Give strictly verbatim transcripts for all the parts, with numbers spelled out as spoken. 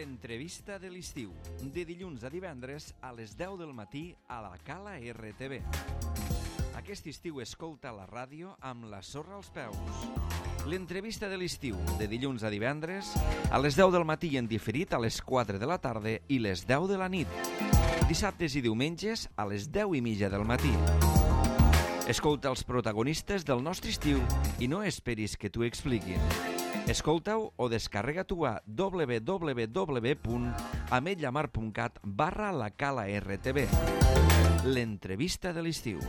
L'entrevista de l'estiu, de dilluns a divendres a les deu del matí a la Cala R T V. Aquest estiu escolta la ràdio amb la sorra als peus. L'entrevista de l'estiu, de dilluns a divendres a les deu del matí en diferit a les quatre de la tarda i les deu de la nit. Dissabtes i diumenges a les deu i mitja del matí. Escolta els protagonistes del nostre estiu i no esperis que t'ho expliquin. Escolta-ho o descarrega-t'ho a w w w punt ametlllamar punt cat barra la Cala R T V. L'entrevista de l'estiu.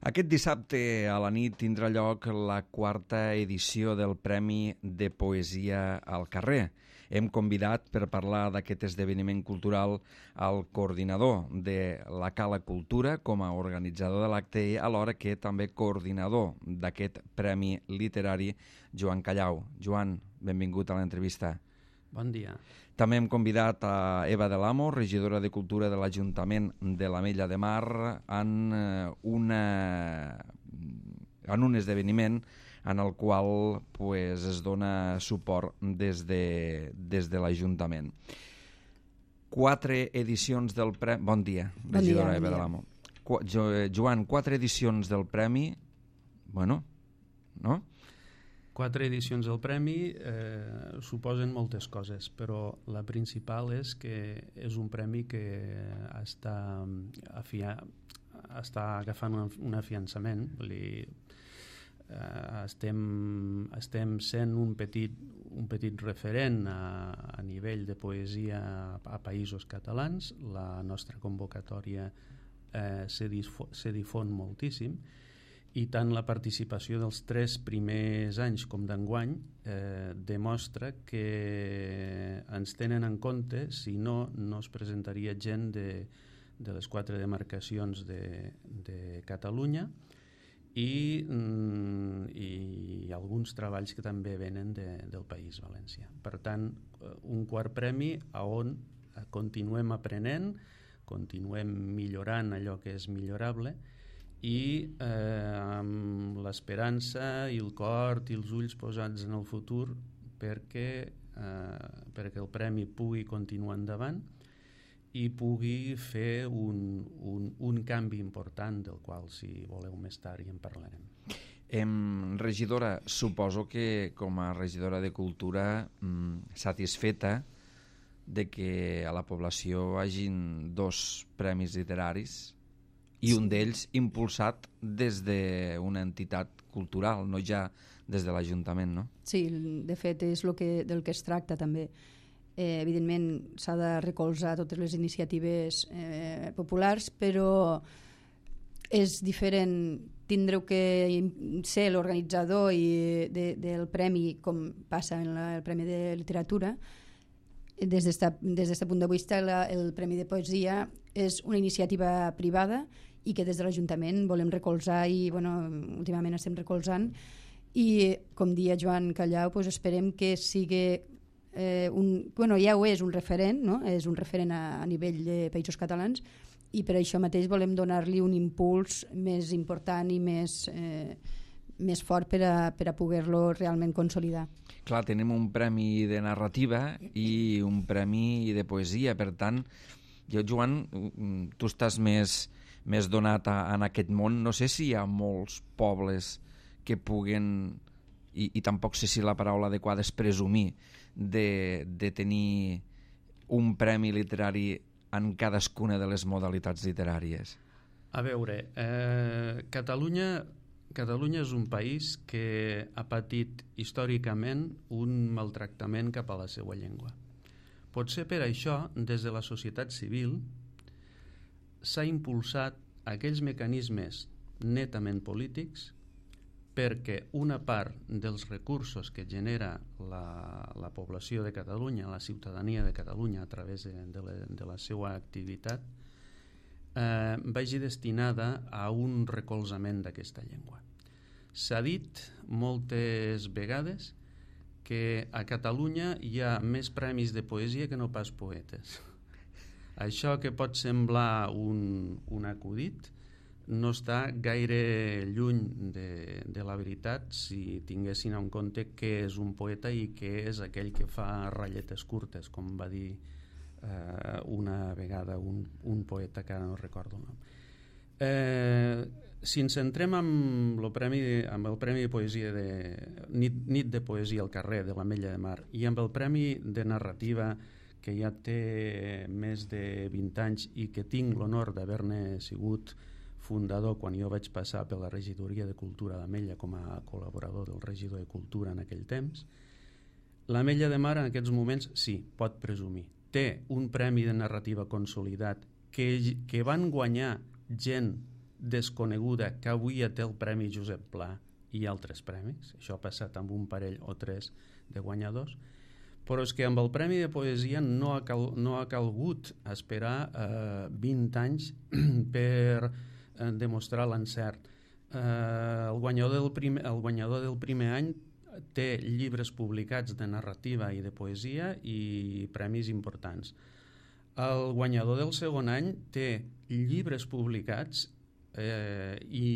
Aquest dissabte a la nit tindrà lloc la quarta edició del Premi de Poesia al Carrer. Hem convidat per parlar d'aquest esdeveniment cultural al coordinador de la Cala Cultura com a organitzador de l'acte i alhora que també coordinador d'aquest Premi Literari, Joan Callau. Joan, benvingut a l'entrevista. Bon dia. També hem convidat a Eva de l'Amo, regidora de Cultura de l'Ajuntament de l'Ametlla de Mar, en, una, en un esdeveniment en el qual pues, es dona suport des de, des de l'Ajuntament. Quatre edicions del Premi... Bon dia, regidora bon dia, Eva bon de l'Amo. Qu jo, Joan, quatre edicions del Premi... Bueno, no? Quatre edicions del Premi eh, suposen moltes coses, però la principal és que és un premi que està, afia, està agafant un, un afiançament. Vull dir, eh, estem, estem sent un petit, un petit referent a, a nivell de poesia a, a països catalans. La nostra convocatòria eh, se, difo, se difon moltíssim, i tant la participació dels tres primers anys com d'enguany eh, demostra que ens tenen en compte, si no, no es presentaria gent de, de les quatre demarcacions de, de Catalunya i, mm, i alguns treballs que també venen de, del País Valencià. Per tant, un quart premi on continuem aprenent, continuem millorant allò que és millorable i eh, amb l'esperança i el cor i els ulls posats en el futur perquè, eh, perquè el premi pugui continuar endavant i pugui fer un, un, un canvi important del qual, si voleu més tard, hi en parlarem. Em, regidora, suposo que com a regidora de Cultura mm, satisfeta de que a la població hagin dos premis literaris i un d'ells impulsat des d'una entitat cultural, no ja des de l'Ajuntament, no? Sí, de fet és lo que, del que es tracta també. Eh, evidentment s'ha de recolzar totes les iniciatives eh, populars, però és diferent tindreu que ser l'organitzador i de, del premi, com passa en la, el Premi de Literatura. Des d'aquest punt de vista, la, el Premi de Poesia és una iniciativa privada i que des de l'Ajuntament volem recolzar i bueno, últimament estem recolzant i com dia Joan Callau pues esperem que sigui eh, un, bueno, ja ho és un referent, no? És un referent a, a nivell de països catalans i per això mateix volem donar-li un impuls més important i més, eh, més fort per a, per a poder-lo realment consolidar. Clar, tenim un premi de narrativa i un premi de poesia, per tant, jo, Joan, tu estàs més, més donat a, en aquest món, no sé si hi ha molts pobles que puguen, i, i tampoc sé si la paraula adequada és presumir, de, de tenir un premi literari en cadascuna de les modalitats literàries. A veure, eh, Catalunya... Catalunya és un país que ha patit històricament un maltractament cap a la seva llengua. Potser per això, des de la societat civil, s'ha impulsat aquells mecanismes netament polítics perquè una part dels recursos que genera la, la població de Catalunya, la ciutadania de Catalunya a través de, de, la, de la seva activitat, eh, vagi destinada a un recolzament d'aquesta llengua. S'ha dit moltes vegades que a Catalunya hi ha més premis de poesia que no pas poetes. Això que pot semblar un, un acudit no està gaire lluny de, de la veritat si tinguessin en compte què és un poeta i què és aquell que fa ratlletes curtes, com va dir eh, una vegada un, un poeta que ara no recordo el nom. Eh, si ens centrem amb, lo premi, amb el Premi de Poesia de Nit, Nit de Poesia al carrer de l'Ametlla de Mar i amb el Premi de Narrativa que ja té més de vint anys i que tinc l'honor d'haver-ne sigut fundador quan jo vaig passar per la regidoria de Cultura d'Ametlla com a col·laborador del regidor de Cultura en aquell temps, l'Ametlla de Mar en aquests moments sí, pot presumir. Té un premi de narrativa consolidat que, que van guanyar gent desconeguda que avui ja té el Premi Josep Pla i altres premis. Això ha passat amb un parell o tres de guanyadors. Però és que amb el Premi de Poesia no ha, cal, no ha calgut esperar eh, vint anys per eh, demostrar l'encert. Eh, el, guanyador del primer, el guanyador del primer any té llibres publicats de narrativa i de poesia i premis importants. El guanyador del segon any té llibres publicats eh, i,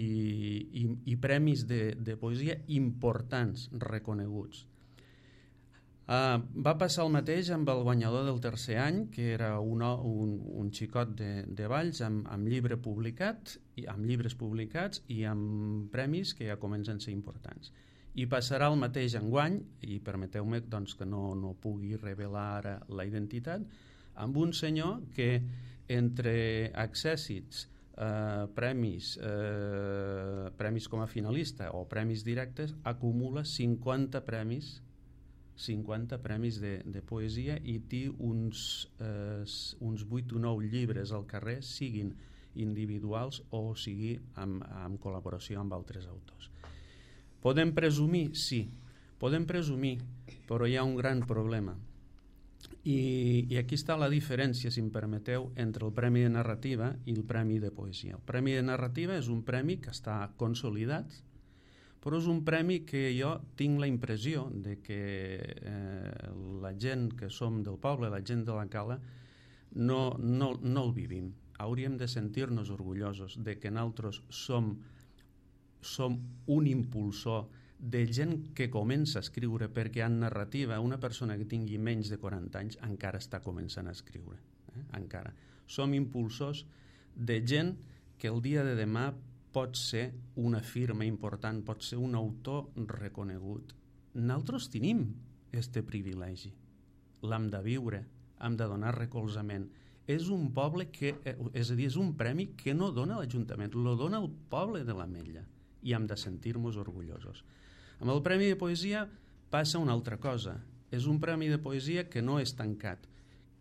i, i premis de, de poesia importants, reconeguts. Uh, va passar el mateix amb el guanyador del tercer any, que era un, un, un xicot de, de Valls amb, amb llibre publicat, i amb llibres publicats i amb premis que ja comencen a ser importants. I passarà el mateix enguany, i permeteu-me doncs, que no, no pugui revelar ara la identitat, amb un senyor que entre accèssits, eh, premis, eh, premis com a finalista o premis directes, acumula cinquanta premis cinquanta premis de, de poesia i té uns, eh, uns vuit o nou llibres al carrer, siguin individuals o sigui amb, amb col·laboració amb altres autors. Podem presumir? Sí, podem presumir, però hi ha un gran problema. I, i aquí està la diferència, si em permeteu, entre el Premi de Narrativa i el Premi de Poesia. El Premi de Narrativa és un premi que està consolidat, però és un premi que jo tinc la impressió de que eh, la gent que som del poble, la gent de la Cala, no, no, no el vivim. Hauríem de sentir-nos orgullosos de que nosaltres som, som un impulsor de gent que comença a escriure, perquè en narrativa una persona que tingui menys de quaranta anys encara està començant a escriure. Eh? Encara. Som impulsors de gent que el dia de demà pot ser una firma important, pot ser un autor reconegut. Nosaltres tenim este privilegi. L'hem de viure, hem de donar recolzament. És un poble que, és a dir, és un premi que no dona l'Ajuntament, lo dona el poble de l'Ametlla i hem de sentir-nos orgullosos. Amb el Premi de Poesia passa una altra cosa. És un premi de poesia que no és tancat,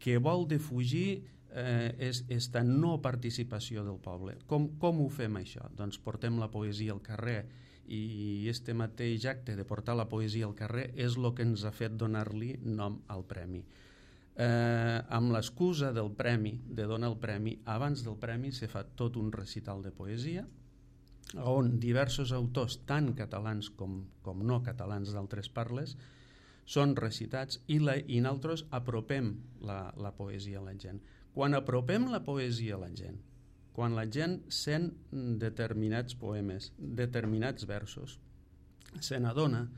que vol defugir Eh, és esta no participació del poble. Com, com ho fem això? Doncs portem la poesia al carrer i este mateix acte de portar la poesia al carrer és el que ens ha fet donar-li nom al premi. Eh, amb l'excusa del premi, de donar el premi, abans del premi se fa tot un recital de poesia on diversos autors, tant catalans com, com no catalans d'altres parles, són recitats i, la, i nosaltres apropem la, la poesia a la gent. Quan apropem la poesia a la gent, quan la gent sent determinats poemes, determinats versos, se n'adona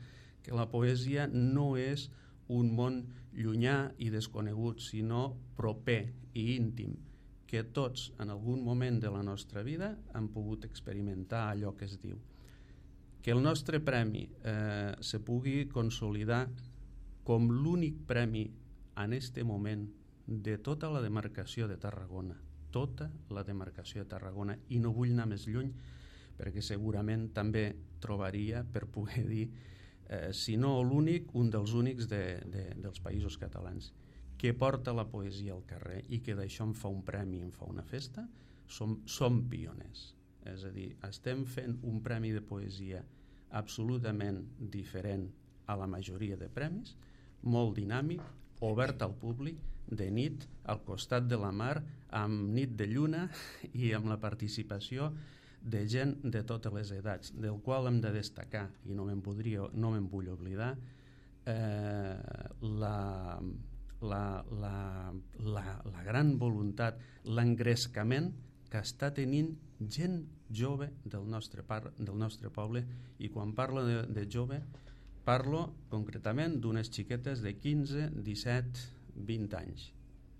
que la poesia no és un món llunyà i desconegut, sinó proper i íntim, que tots en algun moment de la nostra vida hem pogut experimentar allò que es diu. Que el nostre premi eh, se pugui consolidar com l'únic premi en este moment de tota la demarcació de Tarragona, tota la demarcació de Tarragona, i no vull anar més lluny perquè segurament també trobaria, per poder dir, eh, si no l'únic, un dels únics de, de, dels països catalans, que porta la poesia al carrer i que d'això en fa un premi, en fa una festa. Som, som pioners. És a dir, estem fent un premi de poesia absolutament diferent a la majoria de premis, molt dinàmic, obert al públic, de nit, al costat de la mar, amb nit de lluna i amb la participació de gent de totes les edats, del qual hem de destacar, i no me'n podria, no me'n vull oblidar, eh, la, la, la, la, la gran voluntat, l'engrescament que està tenint gent jove del nostre, par, del nostre poble, i quan parlo de, de jove parlo concretament d'unes xiquetes de quinze, disset, vint anys,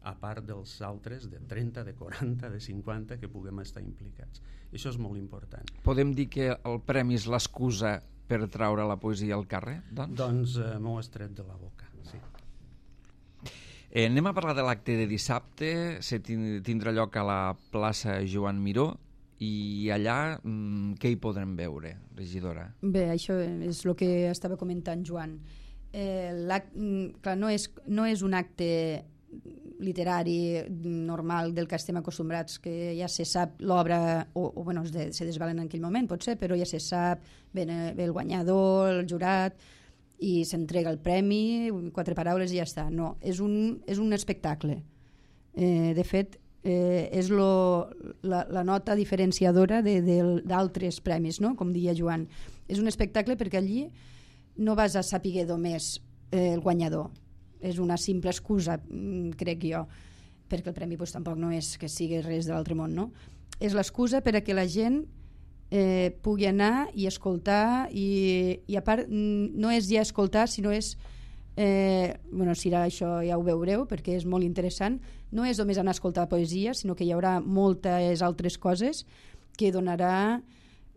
a part dels altres de trenta, de quaranta, de cinquanta que puguem estar implicats. Això és molt important. Podem dir que el premi és l'excusa per traure la poesia al carrer? Doncs, doncs eh, m'ho has tret de la boca, sí. Eh, anem a parlar de l'acte de dissabte. Se tindrà lloc a la plaça Joan Miró, i allà mmm, què hi podrem veure, regidora? Bé, això és el que estava comentant Joan. Eh, clar, no és, no és un acte literari normal del que estem acostumbrats, que ja se sap l'obra, o, o bueno, se desvelen en aquell moment, potser, però ja se sap, ve, ve el guanyador, el jurat, i s'entrega el premi, quatre paraules i ja està. No, és un, és un espectacle. Eh, de fet, eh, és lo, la, la nota diferenciadora d'altres premis, no? Com deia Joan. És un espectacle perquè allí no vas a saber només eh, el guanyador. És una simple excusa, crec jo, perquè el premi pues, tampoc no és que sigui res de l'altre món, no? És l'excusa per a que la gent eh, pugui anar i escoltar, i, i a part no és ja escoltar, sinó és eh, bueno, si ara això ja ho veureu perquè és molt interessant, no és només anar a escoltar poesia, sinó que hi haurà moltes altres coses que donarà.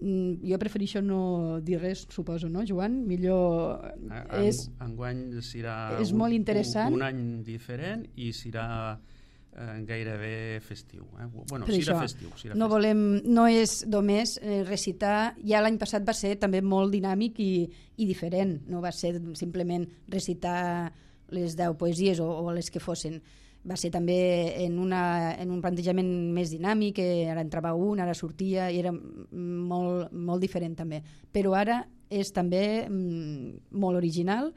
Jo prefereixo no dir res, suposo, no, Joan? Millor... En, és, enguany serà és un, molt interessant. Un, un any diferent i serà eh, gairebé festiu. Eh? Bueno, serà això, festiu. Serà no, festiu. Volem, no és només eh, recitar. Ja l'any passat va ser també molt dinàmic i, i diferent. No va ser simplement recitar les deu poesies o, o les que fossin. Va ser també en, una, en un plantejament més dinàmic, que ara entrava un, ara sortia, i era molt, molt diferent també. Però ara és també mm, molt original,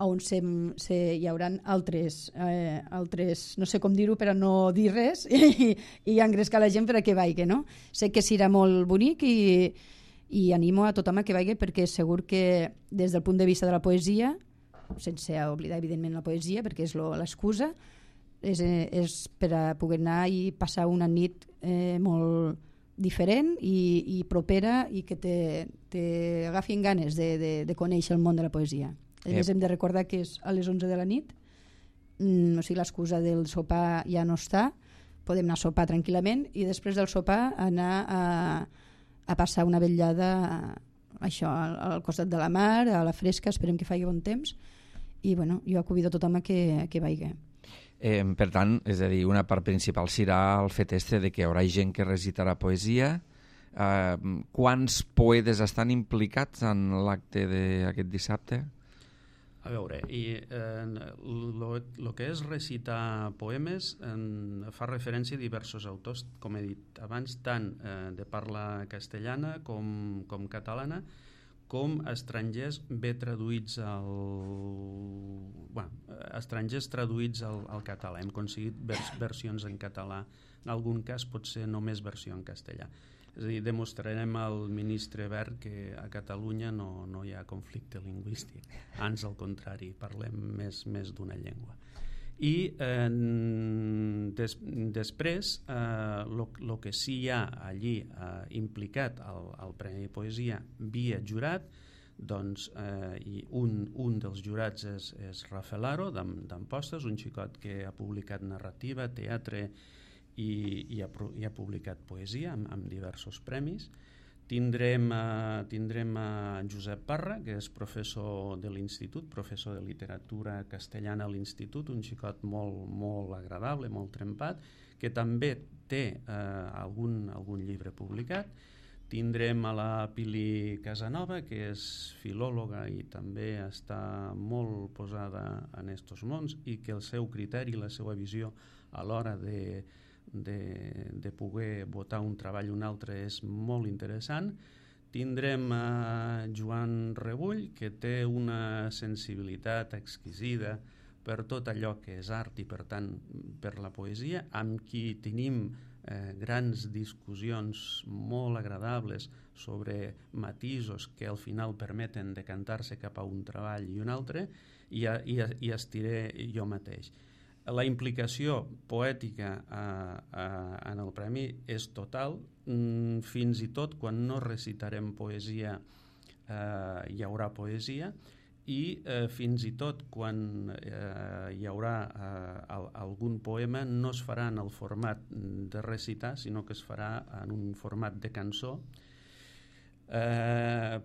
on se, se, hi haurà altres, eh, altres, no sé com dir-ho per a no dir res, i, i engrescar la gent per a que vagi, no? Sé que serà molt bonic i, i animo a tothom a que vagi, perquè segur que des del punt de vista de la poesia, sense oblidar evidentment la poesia, perquè és l'excusa, És, és per a poder anar i passar una nit eh, molt diferent i, i propera, i que t'agafin ganes de, de, de conèixer el món de la poesia. A més, hem de recordar que és a les onze de la nit, mm, o sigui, l'excusa del sopar ja no està, podem anar a sopar tranquil·lament i després del sopar anar a, a passar una vetllada a, això, al, al costat de la mar, a la fresca, esperem que faci bon temps, i bueno, jo convido a tothom a que, que vagi. Eh, per tant, és a dir, una part principal serà el fet este de que hi haurà gent que recitarà poesia. Eh, quants poetes estan implicats en l'acte d'aquest dissabte? A veure, i el eh, que és recitar poemes eh, fa referència a diversos autors, com he dit abans, tant eh, de parla castellana com, com catalana, com estrangers bé traduïts al... Bueno, estrangers traduïts al, al català. Hem aconseguit vers, versions en català. En algun cas pot ser només versió en castellà. És a dir, demostrarem al ministre Wert que a Catalunya no, no hi ha conflicte lingüístic. Ans al contrari, parlem més, més d'una llengua. I eh, des, després el eh, que sí hi ha allí eh, implicat al, al Premi de Poesia via jurat, doncs eh, i un, un dels jurats és, és Rafael Aro d'Ampostes, un xicot que ha publicat narrativa, teatre i, i, ha, i ha publicat poesia amb, amb diversos premis. Tindrem, uh, tindrem uh, Josep Parra, que és professor de l'Institut, professor de literatura castellana a l'Institut, un xicot molt, molt agradable, molt trempat, que també té uh, algun, algun llibre publicat. Tindrem a la Pili Casanova, que és filòloga i també està molt posada en estos mons, i que el seu criteri, la seva visió a l'hora de De, de poder votar un treball o un altre és molt interessant. Tindrem a Joan Rebull, que té una sensibilitat exquisida per tot allò que és art i per tant per la poesia, amb qui tenim eh, grans discussions molt agradables sobre matisos que al final permeten decantar-se cap a un treball i un altre, i, i, i estiré jo mateix. La implicació poètica a, a, en el premi és total, mm, fins i tot quan no recitarem poesia eh, hi haurà poesia, i eh, fins i tot quan eh, hi haurà eh, al, algun poema no es farà en el format de recitar, sinó que es farà en un format de cançó, eh,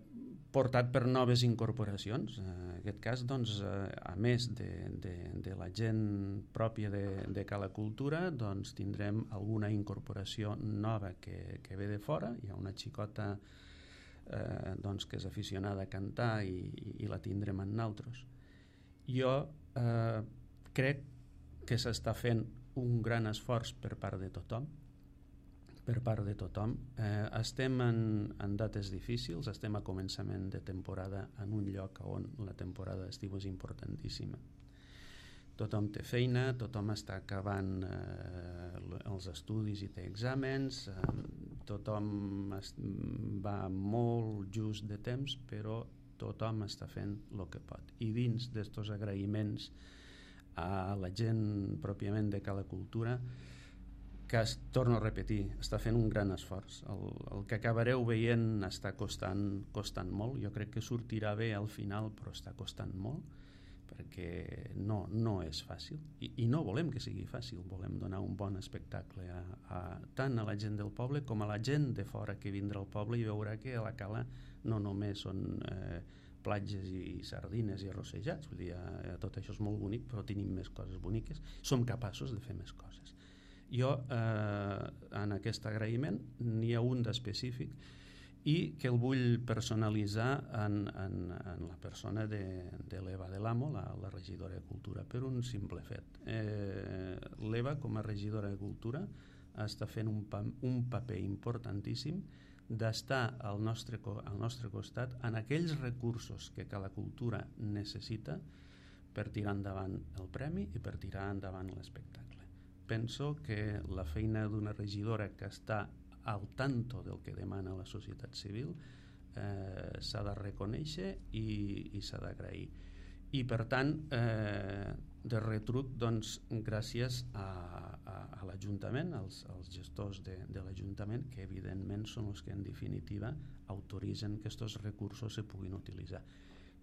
portat per noves incorporacions. En aquest cas, doncs, eh, a més de, de, de la gent pròpia de, de Cala Cultura, doncs, tindrem alguna incorporació nova que, que ve de fora. Hi ha una xicota eh, doncs, que és aficionada a cantar i, i la tindrem en naltros. Jo eh, crec que s'està fent un gran esforç per part de tothom, per part de tothom. Eh, estem en, en dates difícils, estem a començament de temporada en un lloc on la temporada d'estiu és importantíssima. Tothom té feina, tothom està acabant eh, els estudis i té exàmens, eh, tothom es, va molt just de temps, però tothom està fent el que pot. I dins d'estos agraïments a la gent pròpiament de Cala Cultura, que es, torno a repetir, està fent un gran esforç. El, el que acabareu veient està costant, costant molt. Jo crec que sortirà bé al final, però està costant molt, perquè no, no és fàcil. I, i no volem que sigui fàcil, volem donar un bon espectacle a, a, tant a la gent del poble com a la gent de fora que vindrà al poble i veurà que a la Cala no només són eh, platges i sardines i arrossejats, vull dir, eh, tot això és molt bonic, però tenim més coses boniques, som capaços de fer més coses. Jo, eh, en aquest agraïment, n'hi ha un d'específic i que el vull personalitzar en, en, en la persona de, de l'Eva de l'Amo, la, la regidora de Cultura, per un simple fet. Eh, L'Eva, com a regidora de Cultura, està fent un, pa, un paper importantíssim d'estar al nostre, al nostre costat en aquells recursos que Cala Cultura necessita per tirar endavant el premi i per tirar endavant l'espectacle. Penso que la feina d'una regidora que està al tanto del que demana la societat civil eh, s'ha de reconèixer i, i s'ha d'agrair. I per tant, eh, de retruc, doncs, gràcies a, a, a l'Ajuntament, als, als gestors de, de l'Ajuntament, que evidentment són els que en definitiva autoritzen que aquests recursos se puguin utilitzar.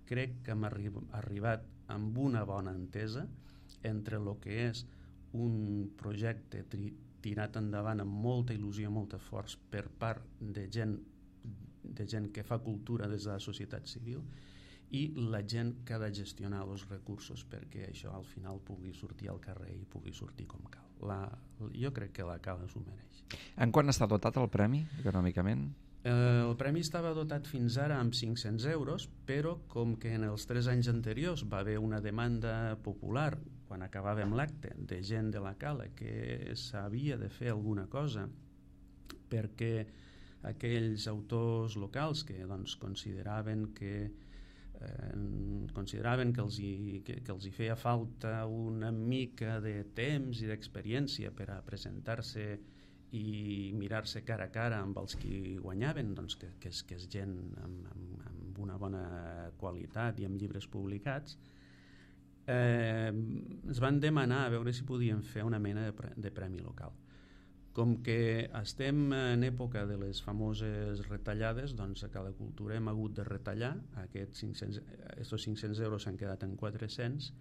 Crec que hem arri- arribat amb una bona entesa entre el que és un projecte tri- tirat endavant amb molta il·lusió, molt esforç per part de gent, de gent que fa cultura des de la societat civil i la gent que ha de gestionar els recursos perquè això al final pugui sortir al carrer i pugui sortir com cal. La, jo crec que la Cala s'ho mereix. En quant està dotat el premi, econòmicament? Eh, el premi estava dotat fins ara amb cinc-cents euros, però com que en els tres anys anteriors va haver una demanda popular quan acabàvem l'acte de gent de la Cala que s'havia de fer alguna cosa perquè aquells autors locals que doncs, consideraven que eh, consideraven que els, hi, que, que els hi feia falta una mica de temps i d'experiència per a presentar-se i mirar-se cara a cara amb els qui guanyaven, doncs que, que, és, que és gent amb, amb, amb una bona qualitat i amb llibres publicats, eh, es van demanar a veure si podien fer una mena de, pre de premi local. Com que estem en època de les famoses retallades, doncs a Cala Cultura hem hagut de retallar, aquests cinc-cents, estos cinc-cents euros s'han quedat en quatre-cents,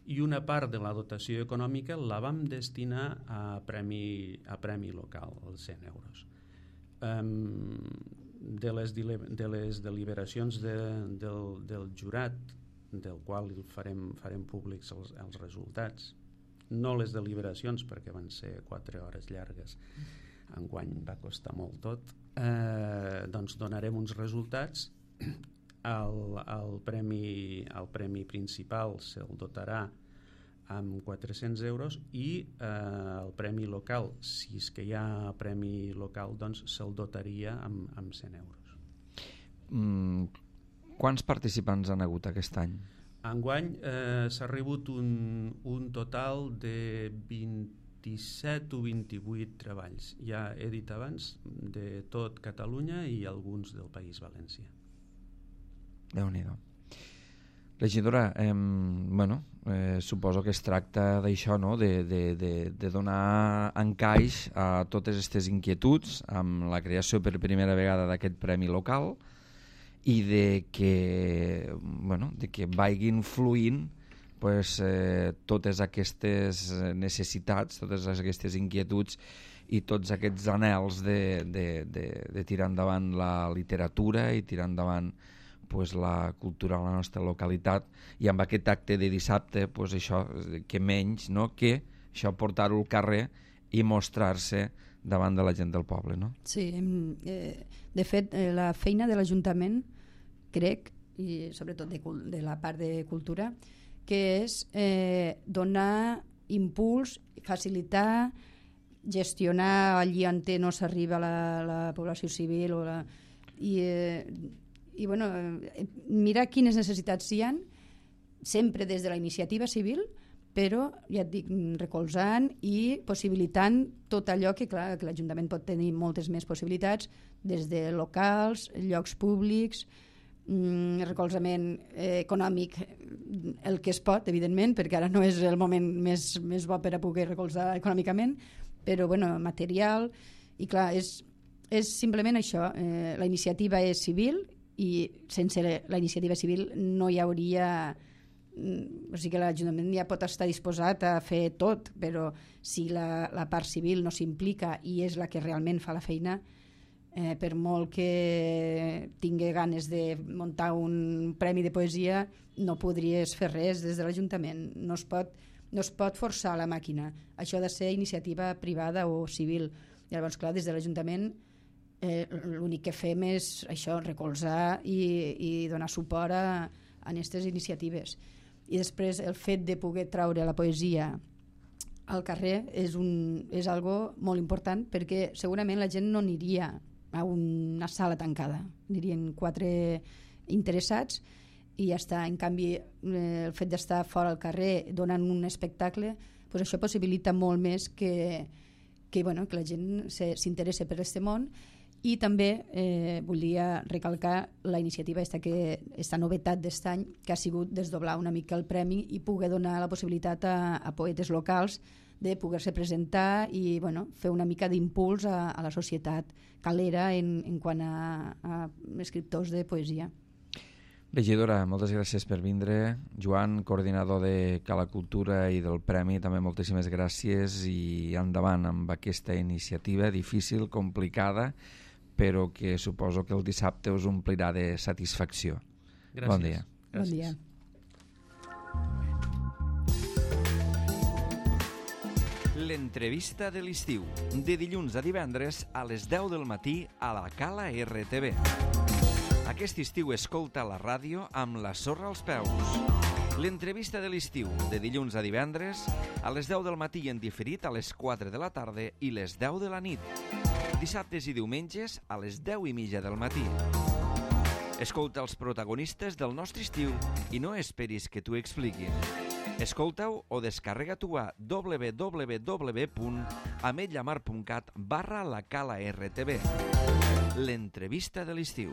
i una part de la dotació econòmica la vam destinar a premi, a premi local, els cent euros. Um, de, les de les deliberacions de, del, del jurat, del qual farem, farem públics els, els resultats, no les deliberacions perquè van ser quatre hores llargues, enguany va costar molt tot, eh, doncs donarem uns resultats. El, el, premi, el premi principal se'l dotarà amb quatre-cents euros i eh, el premi local, si és que hi ha premi local, doncs se'l dotaria amb, amb cent euros. Mm, quants participants han hagut aquest any? Enguany eh, s'ha rebut un, un total de vint-i-set o vint-i-vuit treballs. Ja he dit abans, de tot Catalunya i alguns del País Valencià. Déu-n'hi-do. Regidora, eh, bueno, eh, suposo que es tracta d'això, no? de, de, de, de donar encaix a totes aquestes inquietuds amb la creació per primera vegada d'aquest premi local i de que, bueno, de que vagin fluint pues, eh, totes aquestes necessitats, totes aquestes inquietuds i tots aquests anhels de, de, de, de tirar endavant la literatura i tirar endavant pues, la cultura a la nostra localitat, i amb aquest acte de dissabte pues, això, que menys, no? que això portar-ho al carrer i mostrar-se davant de la gent del poble, no? Sí, eh, de fet eh, la feina de l'Ajuntament, crec, i sobretot de, de la part de cultura, que és eh, donar impuls, facilitar, gestionar allí on no s'arriba la, la població civil o la, i eh, i bueno, mirar quines necessitats hi ha, sempre des de la iniciativa civil, però ja et dic, recolzant i possibilitant tot allò que, clar, que l'Ajuntament pot tenir moltes més possibilitats, des de locals, llocs públics, mm, recolzament eh, econòmic, el que es pot, evidentment, perquè ara no és el moment més, més bo per a poder recolzar econòmicament, però bueno, material, i clar, és, és simplement això, eh, la iniciativa és civil, i sense la iniciativa civil no hi hauria, o sigui que l'Ajuntament ja pot estar disposat a fer tot, però si la, la part civil no s'implica i és la que realment fa la feina, eh, per molt que tingui ganes de muntar un premi de poesia, no podries fer res des de l'Ajuntament, no es pot, no es pot forçar la màquina, això ha de ser iniciativa privada o civil. Llavors, clar, des de l'Ajuntament Eh, l'únic que fem és això, recolzar i, i donar suport a, a aquestes iniciatives. I després el fet de poder traure la poesia al carrer és, un, és algo molt important, perquè segurament la gent no aniria a una sala tancada, anirien quatre interessats i ja està. En canvi, eh, el fet d'estar fora al carrer donant un espectacle, pues això possibilita molt més que, que, bueno, que la gent s'interessi per aquest món. I també eh, volia recalcar la iniciativa esta, que, esta novetat d'est any, que ha sigut desdoblar una mica el premi i poder donar la possibilitat a, a poetes locals de poder-se presentar i bueno, fer una mica d'impuls a, a la societat calera en, en quant a, a escriptors de poesia. Regidora, moltes gràcies per vindre. Joan, coordinador de Cala Cultura i del Premi, també moltíssimes gràcies i endavant amb aquesta iniciativa difícil, complicada, però que suposo que el dissabte us omplirà de satisfacció. Gràcies. Bon dia. Gràcies. Bon dia. L'entrevista de l'estiu, de dilluns a divendres a les deu del matí a la Cala R T V. Aquest estiu escolta la ràdio amb la sorra als peus. L'entrevista de l'estiu, de dilluns a divendres a les deu del matí en diferit a les quatre de la tarda i les deu de la nit. Dissabtes i diumenges a les deu i mitja del matí. Escolta els protagonistes del nostre estiu i no esperis que t'ho expliquin. Escolta-ho o descarrega-t'ho a w w w punt ametlla mar punt cat barra la Cala R T V. L'entrevista de l'estiu.